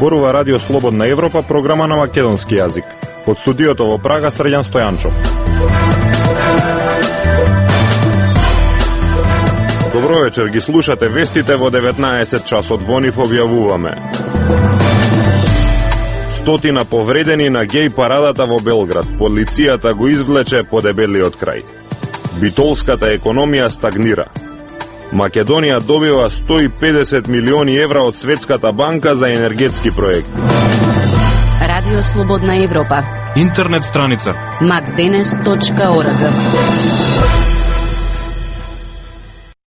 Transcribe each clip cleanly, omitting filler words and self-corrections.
зборува Радио Слободна Европа, програма на македонски јазик. Од студиото во Прага, Срđan Стојанчов. Добро вечер, ги слушате вестите во 19 часот. Во нив објавуваме: 100 повредени на геј парадата во Белград. Полицијата го извлече по дебелиот крај. Битолската економија стагнира. Македонија добива 150 милиони евра од Светската банка за енергетски проекти. Радио Слободна Европа. Интернет страница macdenes.org.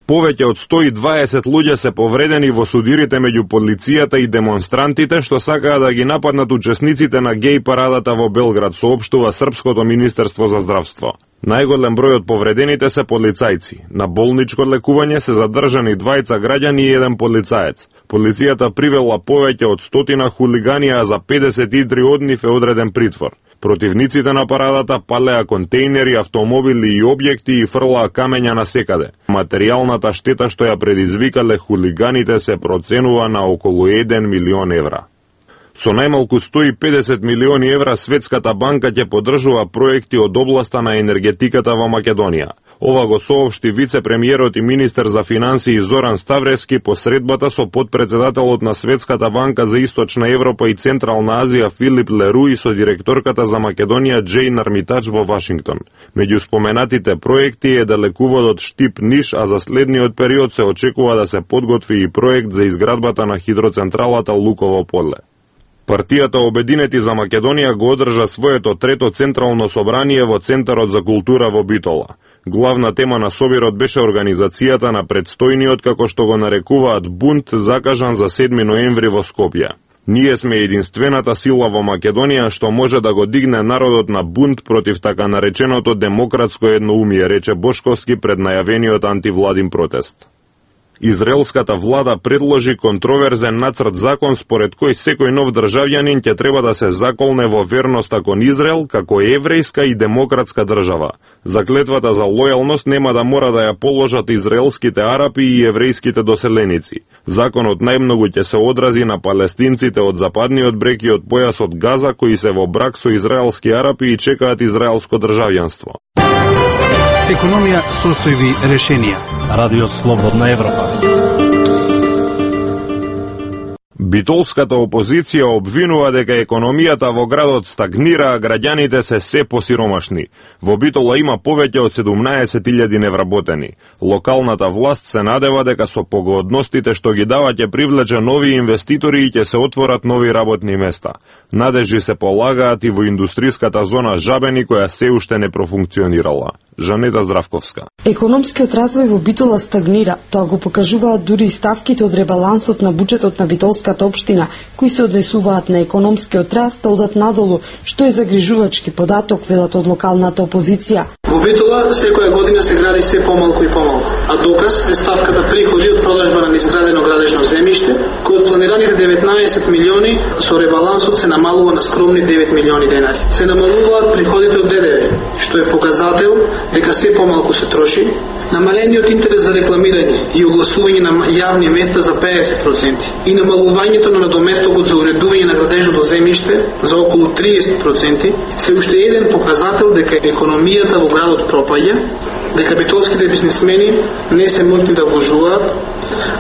Повеќе од 120 луѓе се повредени во судирите меѓу полицијата и демонстрантите што сакаа да ги нападнат учесниците на геј парадата во Белград, соопштува Српското министерство за здравство. Најголем број од повредените се полицајци. На болничко лекување се задржани 2 граѓани и 1 полицаец. Полицијата привела повеќе од 100 хулигани, а за 53 од нив е одреден притвор. Противниците на парадата палеа контейнери, автомобили и објекти и фрлаа камења насекаде. Материјалната штета што ја предизвикале хулиганите се проценува на околу 1 милион евра. Со најмалку 150 милиони евра Светската банка ќе поддржува проекти од областа на енергетиката во Македонија. Ова го соопшти вице-премиерот и министер за финансии Зоран Ставревски по средбата со подпредседателот на Светската банка за Источна Европа и Централна Азија Филип Леру и со директорката за Македонија Джейн Армитач во Вашингтон. Меѓу споменатите проекти е далеководот Штип-Ниш, а за следниот период се очекува да се подготви и проект за изградбата на хидроцентралата Луково поле. Партијата Обединети за Македонија го одржа своето трето централно собрание во Центарот за култура во Битола. Главна тема на собирот беше организацијата на предстојниот, како што го нарекуваат, бунт закажан за 7 ноември во Скопје. Ние сме единствената сила во Македонија што може да го дигне народот на бунт против така нареченото демократско едноумие, рече Бошковски пред најавениот антивладин протест. Израелската влада предложи контроверзен нацрт закон според кој секој нов државјанин ќе треба да се заколне во верноста кон Израел како еврејска и демократска држава. Заклетвата за лојалност нема да мора да ја положат израелските арапи и еврејските доселеници. Законот најмногу ќе се одрази на палестинците од западниот брег и од појасот Газа кои се во брак со израелски арапи и чекаат израелско државјанство. Економија, состојби, решенија. Радио Слободна Европа. Битолската опозиција обвинува дека економијата во градот стагнира, а граѓаните се посиромашни. Во Битола има повеќе од 17.000 невработени. Локалната власт се надева дека со погодностите што ги дава ќе привлече нови инвеститори и ќе се отворат нови работни места. Надежи се полагаат и во индустриската зона Жабени, која се уште не профункционирала. Жанета Здравковска. Економскиот развој во Битола стагнира. Тоа го покажуваат дури и ставките од ребалансот на буџетот на Битолската општина, кои се однесуваат на економскиот раст, а одат надолу, што е загрижувачки податок, велат од локалната опозиција. Во Битола секоја година се гради се помалку и помалку, а доказ е ставката приходи од продажба на неизградено градежно земјиште, кој од планираните 19 милиони со ребалансот се намалува на скромни 9 милиони денари. Се намалуваат приходите од ДДВ, што е показател дека се помалку се троши, намалениот интерес за рекламирање и огласување на јавни места за 50% и намалувањето на надоместокот за уредување на градежното земјиште за околу 30% се уште еден показател дека економијата во градот пропаѓа, дека битолските бизнисмени не се можни да вложуваат,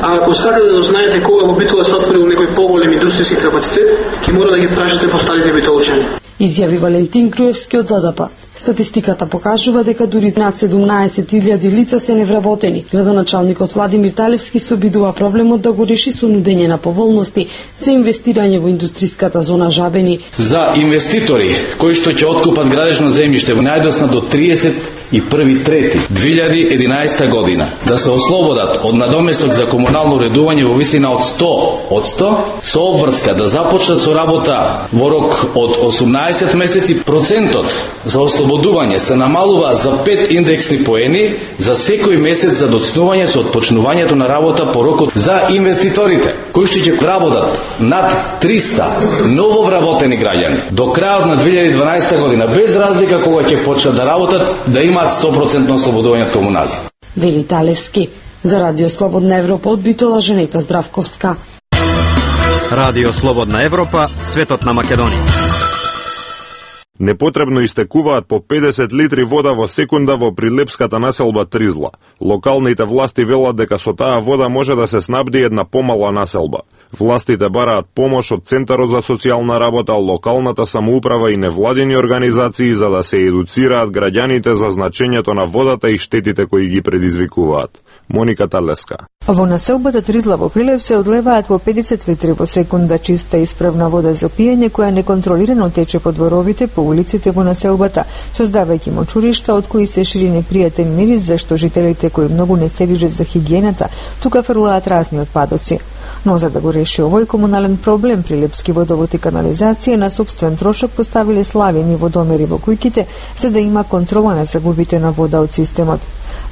а ако сакате да знаете кога во Битола се отворил некој поголем индустријски капацитет, ќе мора да ги прашате по старите битолчани. Изјави Валентин Груевски од ЛДП. Статистиката покажува дека дури над 17.000 лица се невработени. Градоначалникот Владимир Талевски се обидува проблемот да го реши со нудење на поволности за инвестирање во индустриската зона Жабени. За инвеститори кои што ќе откупат градежно земјиште во најдосна до 31.3.2011 година да се ослободат од надоместок за комунално уредување во висина од 100% со обврска да започнат со работа во рок од 18 месеци, процентот за ослободување се намалува за 5 индексни поени за секој месец за доцнување со отпочнувањето на работа по рокот за инвеститорите, кои што ќе работат над 300 ново вработени граѓани до крајот на 2012 година, без разлика кога ќе почнат да работат, да имаат 100% ослободување од комунали. Вели Талевски. За Радио Слободна Европа од Битола, Жанета Здравковска. Радио Слободна Европа, светот на Македонија. Непотребно истекуваат по 50 литри вода во секунда во прилепската населба Тризла. Локалните власти велат дека со таа вода може да се снабди една помала населба. Властите бараат помош од Центарот за социјална работа, локалната самоуправа и невладини организации за да се едуцираат граѓаните за значењето на водата и штетите кои ги предизвикуваат. Моника Талеска. Во населбата Тризла во Прилеп се одлеваат по 50 литри во секунда чиста и исправна вода за пиење која неконтролирано тече по дворовите, по улиците во населбата, создавајќи мочуришта од кои се шири непријатен мирис, зашто жителите кои многу не се грижат за хигиената, тука фрлаат разни отпадоци. Но за да го реши овој комунален проблем, Прилепски водовод и канализација на собствен трошок поставиле славени водомери во куќите за да има контрола на загубите на вода од системот.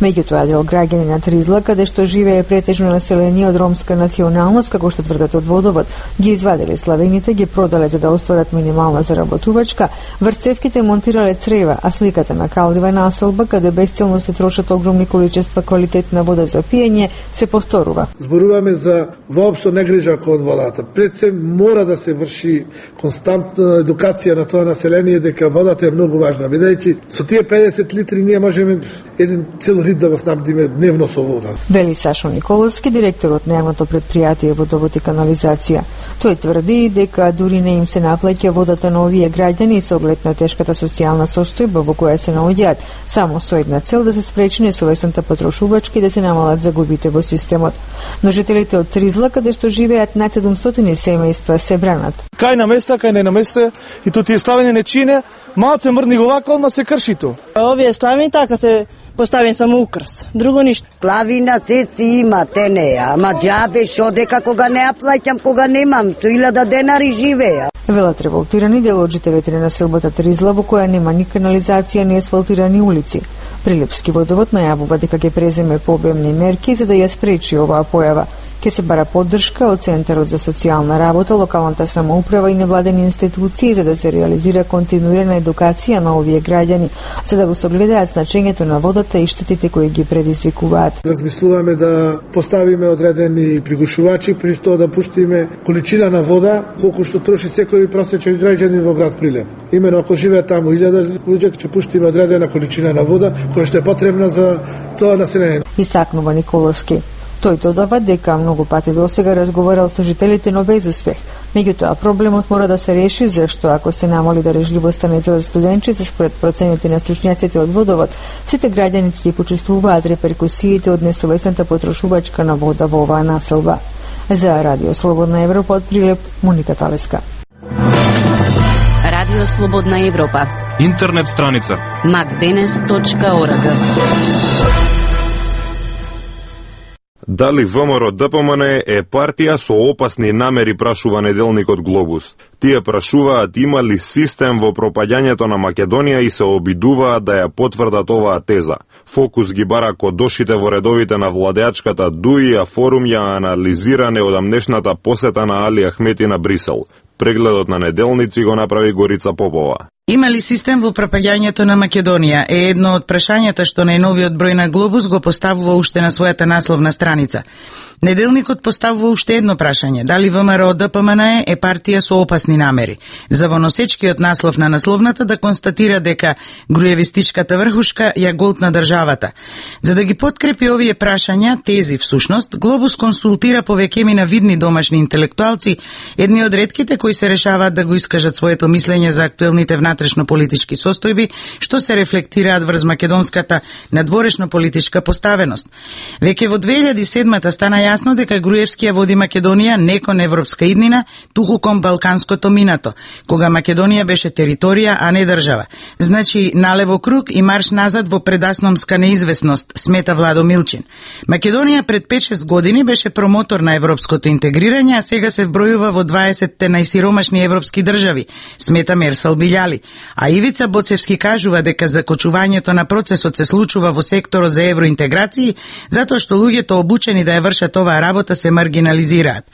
Меѓутоа, дел граѓани на Тризла, каде што живее претежно население од ромска националност, како што тврдат од водовод, ги извадиле славените, ги продале за да остварат минимална заработувачка, врцевките монтирале црева, а сликата на калдива населба, каде бесцелно се трошат огромни количества квалитетна вода за пиење, се повторува. Зборуваме за воопшто негрижа кон водата. Пред се мора да се врши константна едукација на тоа население дека водата е многу важна, бидејќи со тие 50 литри ние можеме еден цел рид да го снабдиме дневно со вода. Вели Сашо Николовски, директорот на јавното предпријатие Водовод и канализација. Тој тврди дека дури не им се наплаќа водата на овие граѓани со оглед на тешката социјална состојба во која се наоѓаат, само со една цел да се спречи несовесната потрошувачка и да се намалат загубите во системот. Но жителите од Тризла, каде што живеат над 700 семејства, се бранат. Кај на места, кај не на места, и то тие славени не чине, малце мрдни го вака, одма се крши то. Овие славени така се поставен само украс, друго ништо. Клавина се си има, те не, ама џабе шо дека кога не ја плаќам, кога немам, со 1000 денари живеа. Велат револтирани дел од жителите на населбата Тризла, во која нема ни канализација, ни асфалтирани улици. Прилепски водовод најавува дека ќе преземе пообемни мерки за да ја спречи оваа појава. Ке се бара поддршка од Центарот за социјална работа, локалната самоуправа и невладени институции за да се реализира континуирана едукација на овие граѓани, за да го согледаат значењето на водата и штетите кои ги предизвикуваат. Размислуваме да поставиме одредени пригушувачи, при тоа да пуштиме количина на вода колку што троши секој просечен граѓанин во град Прилеп. Имено ако живее таму 1000 луѓе, ќе пуштиме одредена количина на вода која што е потребна за тоа население. Истакнува Николовски. Тој додава дека многу пати досега разговарал со жителите, но без успех. Меѓутоа, проблемот мора да се реши, зашто ако се намали дарежливоста на еден студентчица според процените на стручњаците од водовод, сите граѓани ќе почувствуваат реперкусиите од несовесната потрошувачка на вода во оваа населба. За Радио Слободна Европа од Прилеп, Моника Талеска. Радио Слободна Европа. Интернет страница macdenes.org. Дали ВМРО ДПМН е партија со опасни намери, прашува неделникот Глобус. Тие прашуваат има ли систем во пропаѓањето на Македонија и се обидуваат да ја потврдат оваа теза. Фокус ги бара кодошите во редовите на владеачката ДУИ, а форум ја анализира неодамнешната посета на Али Ахмети на Брисел. Прегледот на неделници го направи Горица Попова. Има ли систем во пропаѓањето на Македонија е едно од прашањата што најновиот број на Глобус го поставува уште на својата насловна страница. Неделникот поставува уште едно прашање: дали ВМРО ДПМН е партија со опасни намери? За воносечкиот наслов на насловната да констатира дека груевистичката врхушка ја голтна државата. За да ги подкрепи овие прашања, тези всушност, Глобус консултира повеќе на видни домашни интелектуалци, едни од ретките кои се решаваат да го искажат своето мислење за актуелните внатрешно-политички состојби, што се рефлектираат врз македонската надворешно-политичка поставеност. Веќе во 2007 стана јасно дека Груевски ја води Македонија не кон европска иднина, туку кон балканското минато, кога Македонија беше територија, а не држава. Значи, налево круг и марш назад во предасномска неизвестност, смета Владо Милчин. Македонија пред 5-6 години беше промотор на европското интегрирање, а сега се вбројува во 20-те најсиромашни европски држави, смета Мерсал Билјали. А Ивица Боцевски кажува дека закочувањето на процесот се случува во секторот за евроинтеграции, затоа што луѓето обучени да ја вршат оваа работа се маргинализираат.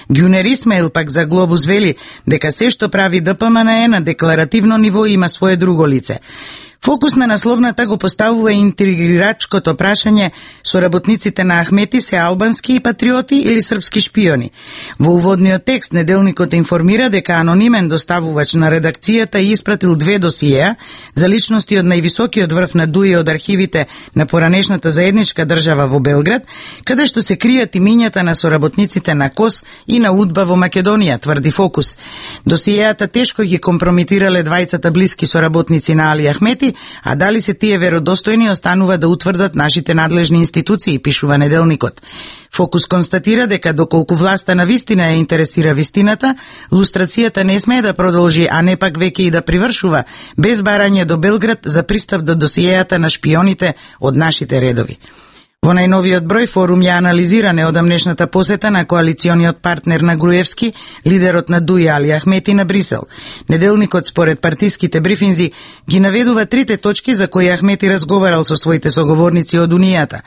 Гюнер Исмаил пак за Глобус вели дека се што прави ДПМН на декларативно ниво има свое друго лице. Фокус на насловната го поставува интригирачкото прашање со работниците на Ахмети се албански и патриоти или српски шпиони. Во уводниот текст неделникот информира дека анонимен доставувач на редакцијата испратил 2 досиеа за личности од највисокиот врв на ДУИ од архивите на поранешната заедничка држава во Белград, каде што се кријат имињата на соработниците на КОС и на УДБА во Македонија, тврди Фокус. Досиеата тешко ги компрометирале двајцата блиски соработници на Али Ахмети, а дали се тие веродостојни останува да утврдат нашите надлежни институции, пишува неделникот. Фокус констатира дека доколку власта на вистина ја интересира вистината, лустрацијата не смее да продолжи, а не пак веќе и да привршува, без барање до Белград за пристап до досиејата на шпионите од нашите редови. Во најновиот број форум ја анализира неодамнешната посета на коалициониот партнер на Груевски, лидерот на ДУИ Али Ахмети на Брисел. Неделникот според партиските брифинзи ги наведува 3 точки за кои Ахмети разговарал со своите соговорници од Унијата.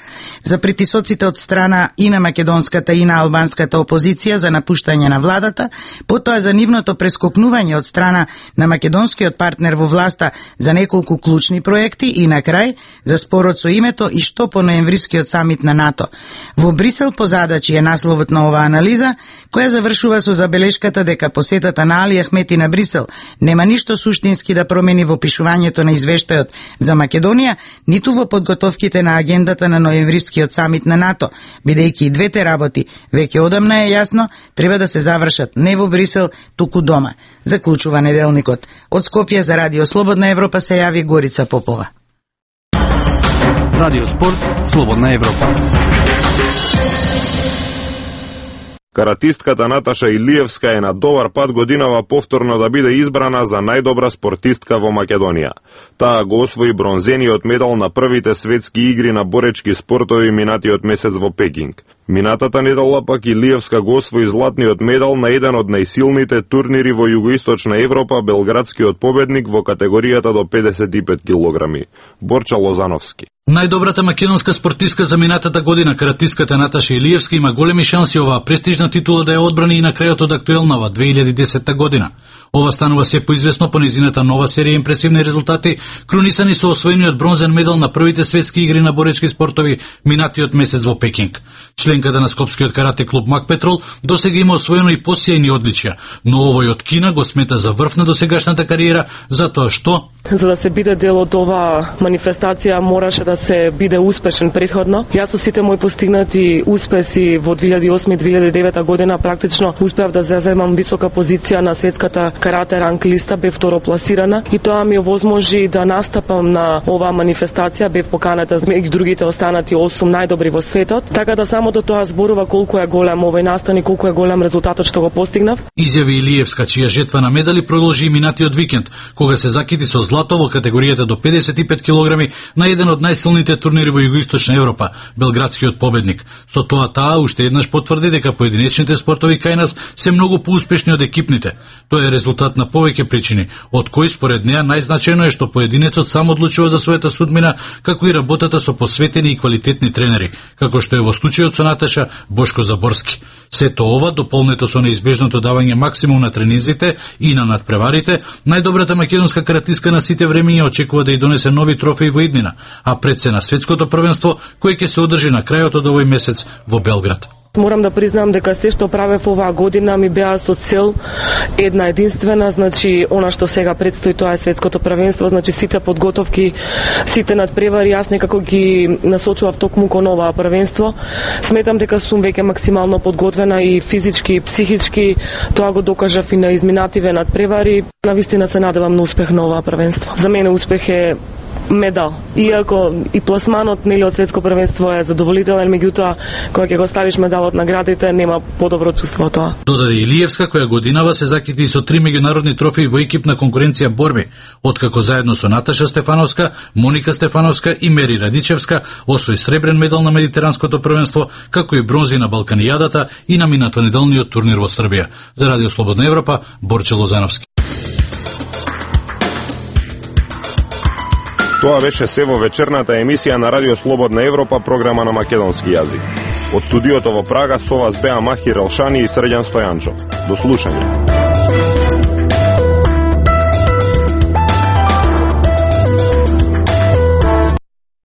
За притисоците од страна и на македонската и на албанската опозиција за напуштање на владата, потоа за нивното прескокнување од страна на македонскиот партнер во власта за неколку клучни проекти и на крај за спорот со името и што по ноемврискиот самит на НАТО. Во Брисел по задачи е насловот на оваа анализа, која завршува со забелешката дека посетата на Али Ахмети на Брисел нема ништо суштински да промени во пишувањето на извештајот за Македонија, ниту во подготовките на агендата на ноемврискиот самит на НАТО, бидејќи и двете работи, веќе одамна е јасно, треба да се завршат не во Брисел, туку дома, заклучува неделникот. Од Скопје за Радио Слободна Европа се јави Горица Попова. Радио Спорт, Слободна Европа. Каратистката Наташа Илиевска е на добар пат годинава повторно да биде избрана за најдобра спортистка во Македонија. Таа го освои бронзениот медал на првите светски игри на боречки спортови минатиот месец во Пекинг. Минатата недела пак Илиевска го освои златниот медал на еден од најсилните турнири во Југоисточна Европа, белградскиот победник во категоријата до 55 килограми. Борча Лозановски. Најдобрата македонска спортистка за минатата година, каратистката Наташа Илиевска, има големи шанси оваа престижна титула да ја одбрани и на крајот од актуелнава 2010 година. Ова станува се поизвестно по незината нова серија импресивни резултати, крунисани со освоениот бронзен медал на првите светски игри на боречки спортови минатиот месец во Пекинг. Членката на скопскиот карате клуб Мак Петрол досега има освоено и посејни одличија, но овој од Кина го смета за врв на досегашната кариера, затоа што за да се биде дел од оваа манифестација мораше да се биде успешен претходно. Јас со сите мои постигнати успеси во 2008-2009 година практично успеав да заземам висока позиција на светската карате ранг листа, бев второпласирана и тоа ми овозможи да настапам на оваа манифестација, бев поканата меѓу другите останати 8 најдобри во светот, така да самото тоа зборува колку е голем овој настан и колку е голем резултатот што го постигнав. Изјави Илиевска, чија жетва на медали продолжи и минатиот викенд, кога се закити со злато во категоријата до 55 килограми на еден од најсилните турнири во Југоисточна Европа, белградскиот победник. Со тоа таа уште еднаш потврди дека поединечните спортови кај нас се многу поуспешни од екипните. Тоа е резултат на повеќе причини, од кои според неа најзначајно е што поединецот сам одлучува за својата судбина, како и работата со посветени и квалитетни тренери, како што е во случајот со Наташа Бошко Заборски. Сето ова, дополнето со неизбежното давање максимум на тренинзите и на надпреварите, најдобрата македонска каратистка на сите времења очекува да ја донесе нови трофеи во иднина, а пред се на светското првенство, кој ќе се одржи на крајот од овој месец во Белград. Морам да признам дека се што правев оваа година ми беа со цел една единствена, значи она што сега предстои, тоа е светското првенство, значи сите подготовки, сите надпревари, јас некако ги насочував токму кон оваа првенство. Сметам дека сум веќе максимално подготвена и физички и психички, тоа го докажав и на изминативе надпревари. Навистина се надевам на успех на оваа првенство. За мене успех е медал. Иако и пласманот нели од светско првенство е задоволителен, меѓутоа кога ќе го ставиш медалот на градите, нема подобро чувство тоа. Додаде Илиевска, која годинава се закити со 3 меѓународни трофеи во екипна конкуренција борби, откако заедно со Наташа Стефановска, Моника Стефановска и Мери Радичевска освои сребрен медал на медитеранското првенство, како и бронзи на Балканијадата и на минатонеделниот турнир во Србија. За Радио Слободна Европа, Борче Лозановски. Тоа беше се во вечерната емисија на Радио Слободна Европа, програма на македонски јазик. Од студиото во Прага со вас беа Махир Елшани и Срđan Стојанчов. До слушање.